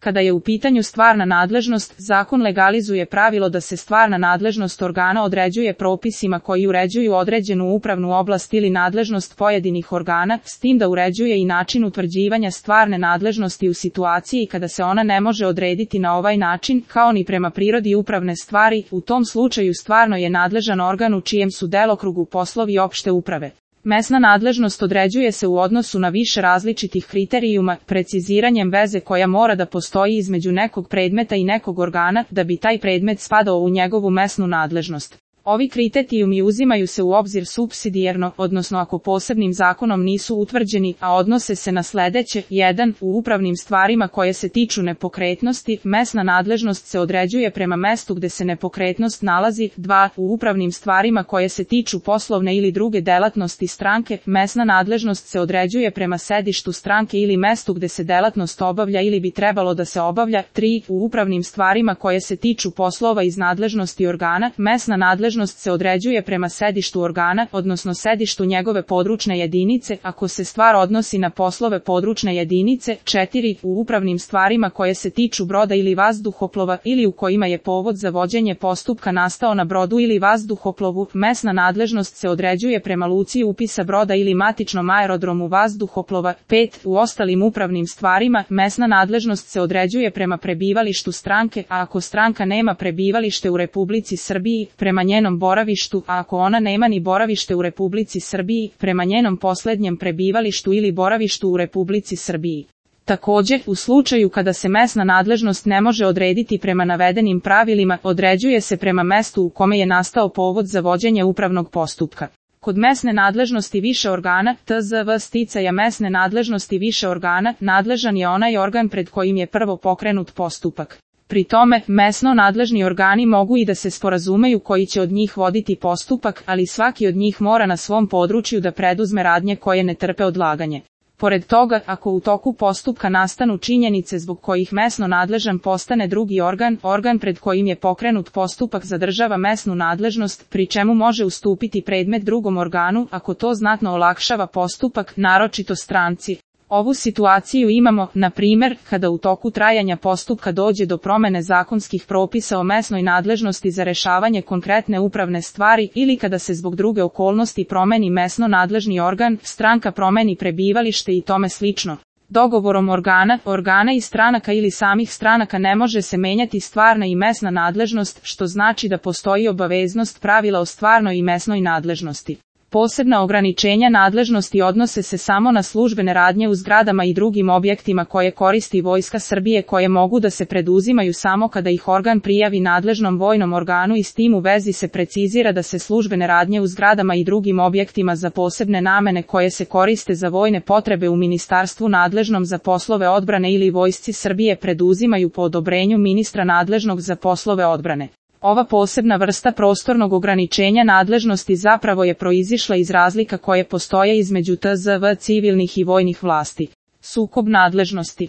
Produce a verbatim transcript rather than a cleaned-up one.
Kada je u pitanju stvarna nadležnost, zakon legalizuje pravilo da se stvarna nadležnost organa određuje propisima koji uređuju određenu upravnu oblast ili nadležnost pojedinih organa, s tim da uređuje i način utvrđivanja stvarne nadležnosti u situaciji kada se ona ne može odrediti na ovaj način, kao ni prema prirodi upravne stvari. U tom slučaju stvarno je nadležan organ u čijem su delokrugu poslovi opšte uprave. Mesna nadležnost određuje se u odnosu na više različitih kriterijuma, preciziranjem veze koja mora da postoji između nekog predmeta i nekog organa, da bi taj predmet spadao u njegovu mesnu nadležnost. Ovi kriterijumi uzimaju se u obzir supsidijarno, odnosno ako posebnim zakonom nisu utvrđeni, a odnose se na sledeće: jedan. U upravnim stvarima koje se tiču nepokretnosti, mesna nadležnost se određuje prema mestu gde se nepokretnost nalazi. dva. U upravnim stvarima koje se tiču poslovne ili druge delatnosti stranke, mesna nadležnost se određuje prema sedištu stranke ili mestu gde se delatnost obavlja ili bi trebalo da se obavlja. tri. U upravnim stvarima koje se tiču poslova iz nadležnosti organa, mesna nadležnost se određuje prema sedištu organa, odnosno sedištu njegove područne jedinice, ako se stvar odnosi na poslove područne jedinice. četiri. U upravnim stvarima koje se tiču broda ili vazduhoplova ili u kojima je povod za vođenje postupka nastao na brodu ili vazduhoplovu, mesna nadležnost se određuje prema luci upisa broda ili matičnom aerodromu vazduhoplova. pet. U ostalim upravnim stvarima, mesna nadležnost se određuje prema prebivalištu stranke, a ako stranka nema prebivalište u Republici Srbiji, prema njenom boravištu, a ako ona nema ni boravište u Republici Srbiji, prema njenom poslednjem prebivalištu ili boravištu u Republici Srbiji. Takođe, u slučaju kada se mesna nadležnost ne može odrediti prema navedenim pravilima, određuje se prema mestu u kome je nastao povod za vođenje upravnog postupka. Kod mesne nadležnosti više organa, tzv. sticaja mesne nadležnosti više organa, nadležan je onaj organ pred kojim je prvo pokrenut postupak. Pri tome, mesno nadležni organi mogu i da se sporazumeju koji će od njih voditi postupak, ali svaki od njih mora na svom području da preduzme radnje koje ne trpe odlaganje. Pored toga, ako u toku postupka nastanu činjenice zbog kojih mesno nadležan postane drugi organ, organ pred kojim je pokrenut postupak zadržava mesnu nadležnost, pri čemu može ustupiti predmet drugom organu, ako to znatno olakšava postupak, naročito stranci. Ovu situaciju imamo, na primer, kada u toku trajanja postupka dođe do promene zakonskih propisa o mesnoj nadležnosti za rešavanje konkretne upravne stvari ili kada se zbog druge okolnosti promeni mesno nadležni organ, stranka promeni prebivalište i tome slično. Dogovorom organa, organa i stranaka ili samih stranaka ne može se menjati stvarna i mesna nadležnost, što znači da postoji obaveznost pravila o stvarnoj i mesnoj nadležnosti. Posebna ograničenja nadležnosti odnose se samo na službene radnje u zgradama i drugim objektima koje koristi Vojska Srbije, koje mogu da se preduzimaju samo kada ih organ prijavi nadležnom vojnom organu, i s tim u vezi se precizira da se službene radnje u zgradama i drugim objektima za posebne namene koje se koriste za vojne potrebe u ministarstvu nadležnom za poslove odbrane ili Vojsci Srbije preduzimaju po odobrenju ministra nadležnog za poslove odbrane. Ova posebna vrsta prostornog ograničenja nadležnosti zapravo je proizišla iz razlika koje postoje između tzv. civilnih i vojnih vlasti. Sukob nadležnosti.